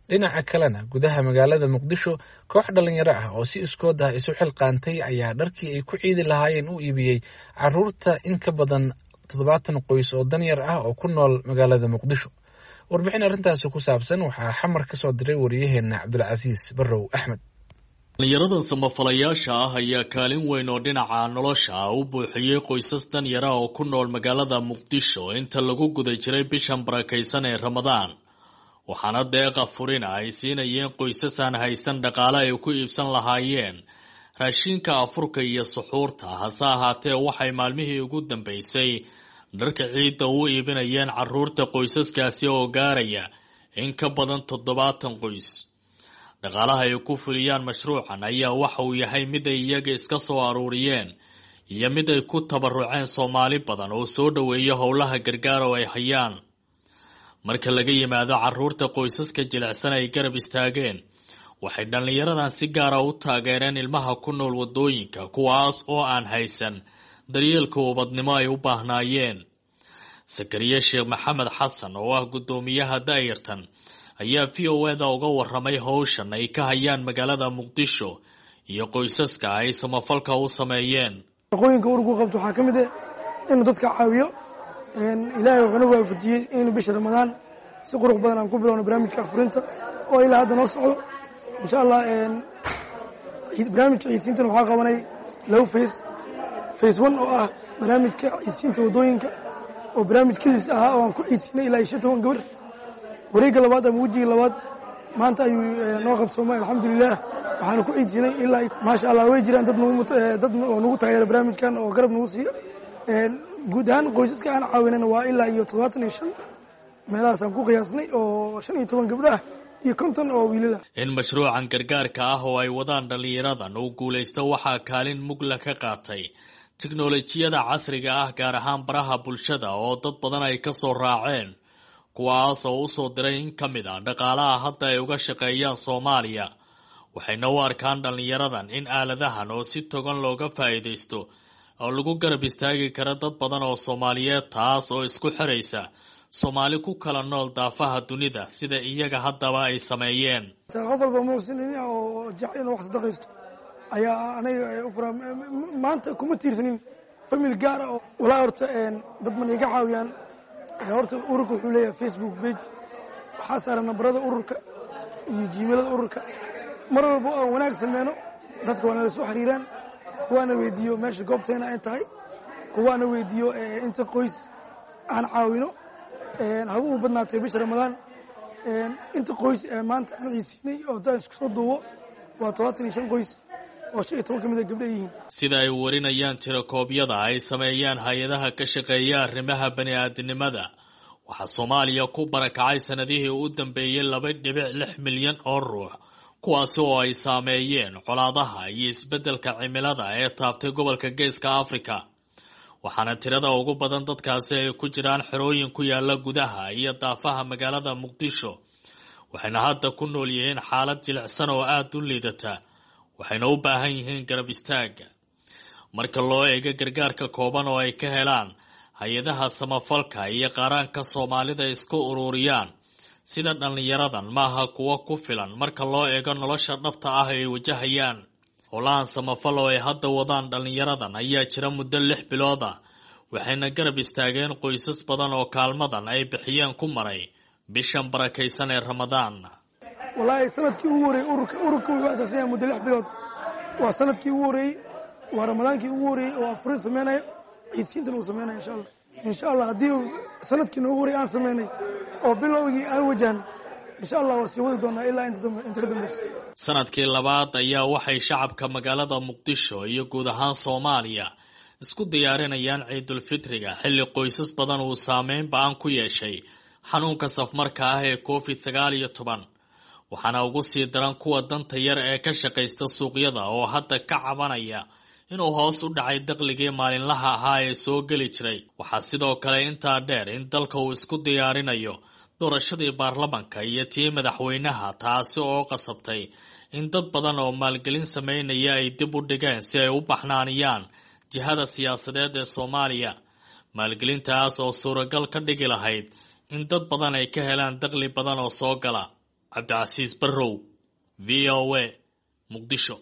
Dhinaca kalena, gudaha magaalada Muqdisho, koox dhalinyaro ah oo si iskood ah isu xilqaantay ayaa dharkii ay ku ciidi lahaayeen u iibiyey caruurta in ka badan 70 qoys oo danyar ah oo ku nool magaalada Muqdisho. Warbixin arrintaasi ku saabsan waxaa Xamar ka soo diray wariyaheena Cabdulcasiis Barrow Axmed. Dhalinyaradan samafalayaasha ah ayaa kaalin weyn oo dhinaca nolosha ah u buuxiyey qoysas danyara oo ku nool magaalada Muqdisho inta lagu guda jiray bishan barakaysan ee Ramadaan. Waxaana deeqa furina ay siinayeen qoysas aan haysan dhaqaale ay ku iibsan lahaayeen raashinka afurka iyo suxuurta. Hase ahaatee, waxay maalmihii ugu dambeysay dharka ciidda u iibinayeen caruurta qoysaskaasi oo gaaraya in ka badan 70 qoys. Dhaqaalaha ay ku fuliyaan mashruucan ayaa waxa uu yahay mid ay iyaga iska soo aruuriyeen iyo mid ay ku tabaruceen Soomaali badan oo soo dhoweeya howlaha gargaar oo ay hayaan. Marka laga yimaado caruurta qoysaska jilicsan ay garab istaageen, waxay dhallinyaradan si gaara u taageereen ilmaha ku nool waddooyinka, kuwaas oo aan haysan daryeelka ubadnimo ay u baahnaayeen. Sakariye Sheekh Maxamed Xasan oo ah guddoomiyaha daayartan ayaa VOA-da uga waramay howshan ay ka hayaan magaalada Muqdisho iyo qoysaska ay samafalka u sameeyeen. Shaqooyinka ururku qabto waxaa ka mid ah inuu dadka caawiyo. Ilaahay wuxuuna waafajiyey inuu bisha Ramadaan si qurux badan aan ku bilowno barnaamijka afurinta oo ilaa hadda noo socdo, insha Allah. Barnaamijka ciidsiintana waxaa qabanay laba phase. Phase one oo ah barnaamijka ciidsiinta waddooyinka oo barnaamijkadiis ahaa oo aan ku ciidsiinay ilaa iyo 15 gabar. Wareegga labaad ama wejiga labaad maanta ayuu noo qabsoomay, alxamdulilah. Waxaanu ku ciidsiinay ilaa, maasha Allah, way jiraan dad dad oo nagu taageera barnaamijkan oo garab nagu siiya. Guud ahaan qoysaska aan caawinana waa ilaa iyo 75 meelahaasaan ku qiyaasnay, oo 15 gabdho ah iyo 50 oo wiilal ah. In mashruucan gargaarka ah oo ay wadaan dhallinyaradan uu guulaysto waxaa kaalin mugla ka qaatay tiknolojiyada casriga ah, gaar ahaan baraha bulshada oo dad badan ay ka soo raaceen, kuwaas oo usoo diray in ka mid ah dhaqaalaha hadda ay uga shaqeeyaan Soomaaliya. Waxayna u arkaan dhallinyaradan in aaladahan oo si togan looga faa'iidaysto oo lagu garab istaagi kara dad badan oo Soomaaliyeed, taas oo isku xiraysa Soomaali ku kala nool daafaha dunida, sida iyaga haddaba ay sameeyeen. Qof walba muxsin oo jecel inuu wax sadaqaysto ayaa aniga u furaa. Maanta kuma tiirsanin family gaar ah oo walaa. Horta dad man iga caawiyaan. Horta ururka wuxuu leeyahay Facebook page, waxaa saaran nambarada ururka iyo Gmailada ururka. Mar walba aan wanaag sameyno, dadka waa nala soo xiriiraan, kuwaana weydiiyo meesha goobteena ay tahay, kuwaana weydiiyo inta qoys aan caawino. Haba u badnaatay bisha Ramadaan, inta qoys maanta aan ciidsiinay oo haddaan isku soo duubo waa 75 qoys oo 15 ka mid a gabdho yihiin. Sida ay warinayaan tirakoobyada ay sameeyaan hay-adaha ka shaqeeya arrimaha bani-aadinimada, waxaa Soomaaliya ku barakacay sanadihii u dambeeyey 2.6 milyan oo ruux, kuwaasi oo ay saameeyeen colaadaha iyo isbeddelka cimilada ee taabtay gobolka Geeska Afrika. Waxaana tirada ugu badan dadkaasi ay ku jiraan xerooyin ku yaala gudaha iyo daafaha magaalada Muqdisho, waxayna hadda ku nool yihiin xaalad jilicsan oo aada u liidata, waxayna u baahan yihiin garab istaaga. Marka loo eego gargaarka kooban oo ay ka helaan hay-adaha samafalka iyo qaaraanka Soomaalida isku ururiyaan sida dhallinyaradan, maaha kuwo ku filan marka loo eego nolosha dhabta ah ay wajahayaan. Howlahan samafal oo ay hadda wadaan dhallinyaradan ayaa jira muddo 6 bilood ah, waxayna garab istaageen qoysas badan oo kaalmadan ay bixiyeen ku maray bishan barakaysan ee Ramadaan. Wallaahi, sanadkii ugu horreeyey ururka wuxuu asaasan yahay muddo 6 bilood. Waa sanadkii ugu horreeyey, waa Ramadaankii ugu horreeyey oo afurin sameynayo, ciidsiintana uu sameynaya, insha Allah. Insha Allah, haddii sanadkii noogu horreyey aan sameynay oo bilowgii aan wajahnay, insha Allah waa sii wadi doonaa ilaa inta dambe, inta ka dambeysa. Sanadkii labaad ayaa waxay shacabka magaalada Muqdisho iyo guud ahaan Soomaaliya isku diyaarinayaan ciidulfitriga, xilli qoysas badan uu saameyn ba-an ku yeeshay xanuunka safmarka ah ee COVID-19. Waxaana ugu sii daran kuwa danta yar ee ka shaqaysta suuqyada oo hadda ka cabanaya inuu hoos u dhacay dakhligii maalinlaha ahaa ee soo geli jiray. Waxaa sidoo kale intaa dheer in dalka uu isku diyaarinayo doorashadii baarlamanka iyo tii madaxweynaha, taasi oo qasabtay in dad badan oo maalgelin sameynaya ay dib u dhigeen si ay u baxnaaniyaan jihada siyaasadeed ee Soomaaliya, maalgelintaas oo suuragal ka dhigi lahayd in dad badan ay ka helaan dakhli badan oo soo gala. Cabdicasiis Barrow, v o a, Muqdisho.